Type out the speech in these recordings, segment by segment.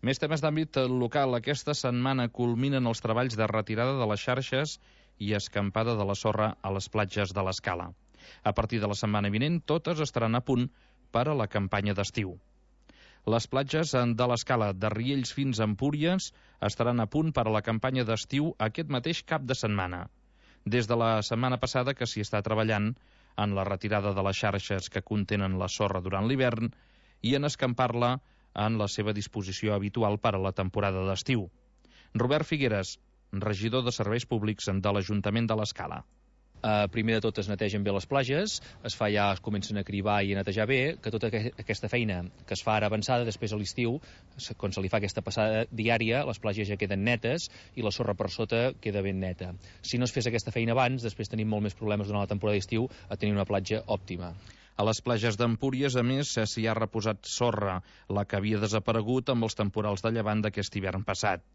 Més temes d'àmbit local. Aquesta setmana culminen els treballs de retirada de les xarxes i escampada de la sorra a les platges de l'Escala. A partir de la setmana vinent, totes estaran a punt per a la campanya d'estiu. Les platges de l'Escala, de Riells fins a Empúries, estaran a punt per a la campanya d'estiu aquest mateix cap de setmana. Des de la setmana passada que s'hi està treballant en la retirada de les xarxes que contenen la sorra durant l'hivern i en escampar-la en la seva disposició habitual per a la temporada d'estiu. Robert Figueres, regidor de Serveis Públics de l'Ajuntament de l'Escala. Primer de tot es netegen bé les platges, es comencen a cribar i a netejar bé, que tota aquesta feina que es fa ara avançada, després a l'estiu, quan se li fa aquesta passada diària, les platges ja queden netes i la sorra per sota queda ben neta. Si no es fes aquesta feina abans, després tenim molt més problemes durant la temporada d'estiu a tenir una platja òptima. A les platges d'Empúries, a més, s'hi ha reposat sorra, la que havia desaparegut amb els temporals de llevant d'aquest hivern passat.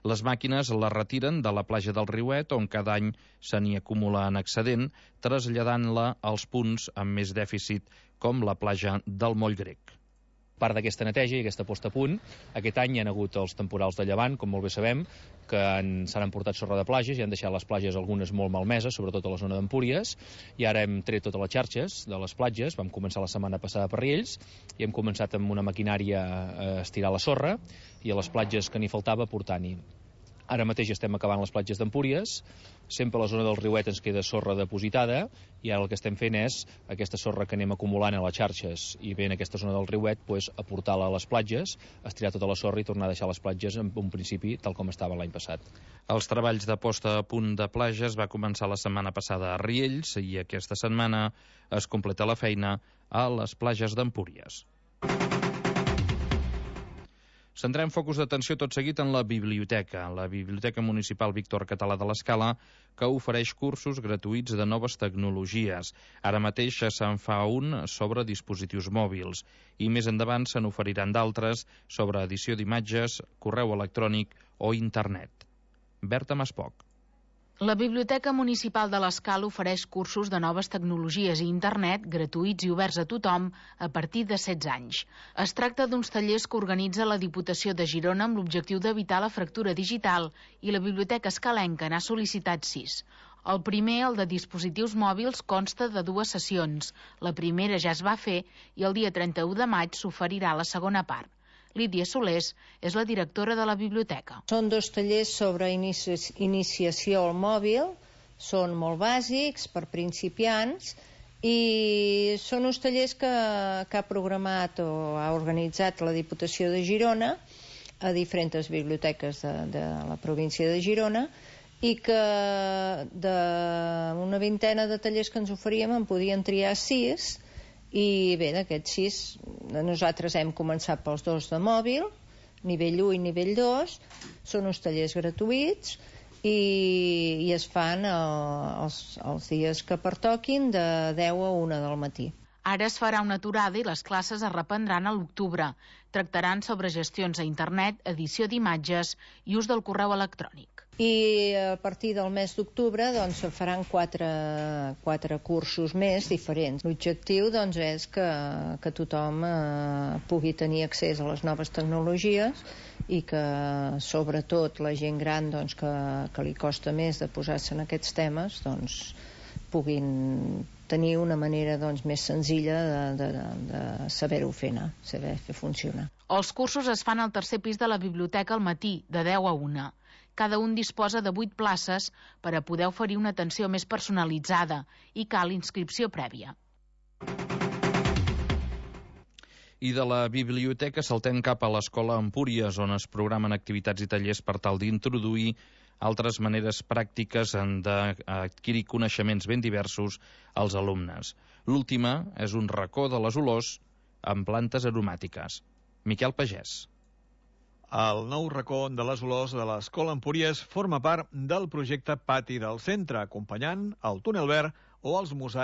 Les màquines la retiren de la platja del Riuet, on cada any se n'hi acumula en excedent, traslladant-la als punts amb més dèficit, com la platja del Moll Grec. Part d'aquesta neteja i aquesta posta a punt, aquest any hi ha hagut els temporals de llevant, com molt bé sabem, que s'han emportat sorra de platges i han deixat les platges algunes molt malmeses, sobretot a la zona d'Empúries, i ara hem tret totes les xarxes de les platges, vam començar la setmana passada per Riells, i hem començat amb una maquinària a estirar la sorra, i a les platges que n'hi faltava portant-hi. Ara mateix estem acabant les platges d'Empúries, sempre a la zona del Riuet ens queda sorra depositada, i ara el que estem fent és aquesta sorra que anem acumulant a les xarxes i bé en aquesta zona del Riuet, aportar-la a les platges, estirar tota la sorra i tornar a deixar les platges en un principi tal com estaven l'any passat. Els treballs de posta a punt de platges va començar la setmana passada a Riells i aquesta setmana es completa la feina a les platges d'Empúries. Centrem focus d'atenció tot seguit en la biblioteca municipal Víctor Català de l'Escala, que ofereix cursos gratuïts de noves tecnologies. Ara mateix se'n fa un sobre dispositius mòbils i més endavant se n'oferiran d'altres sobre edició d'imatges, correu electrònic o internet. Berta Maspoc. La Biblioteca Municipal de l'Escala ofereix cursos de noves tecnologies i internet gratuïts i oberts a tothom a partir de 16 anys. Es tracta d'uns tallers que organitza la Diputació de Girona amb l'objectiu d'evitar la fractura digital i la Biblioteca Escalenca n'ha sol·licitat 6. El primer, el de dispositius mòbils, consta de 2 sessions. La primera ja es va fer i el dia 31 de maig s'oferirà la segona part. Lídia Solés és la directora de la biblioteca. Són 2 tallers sobre iniciació al mòbil, són molt bàsics per principiants i són uns tallers que ha programat o ha organitzat la Diputació de Girona a diferents biblioteques de la província de Girona i que d'una vintena de tallers que ens oferíem en podien triar 6. I bé, d'aquests 6 nosaltres hem començat pels 2 de mòbil, nivell 1 i nivell 2, són uns tallers gratuïts i es fan els dies que pertoquin de 10 a 1 del matí. Ara es farà una aturada i les classes es reprendran a l'octubre. Tractaran sobre gestions a internet, edició d'imatges i ús del correu electrònic. I a partir del mes d'octubre doncs, se faran 4 cursos més diferents. L'objectiu doncs, és que tothom pugui tenir accés a les noves tecnologies i que sobretot la gent gran doncs, que li costa més de posar-se en aquests temes doncs, puguin tenir una manera doncs, més senzilla de saber-ho fer anar, saber fer funcionar. Els cursos es fan al tercer pis de la biblioteca al matí, de 10 a 1. Cada un disposa de 8 places per a poder oferir una atenció més personalitzada i cal inscripció prèvia. I de la biblioteca saltem cap a l'Escola Empúries, on es programen activitats i tallers per tal d'introduir altres maneres pràctiques d'adquirir coneixements ben diversos als alumnes. L'última és un racó de les olors amb plantes aromàtiques. Miquel Pagès. El nou racó de les olors de l'Escola Empúries forma part del projecte Pati del Centre, acompanyant el túnel verd o els mosaics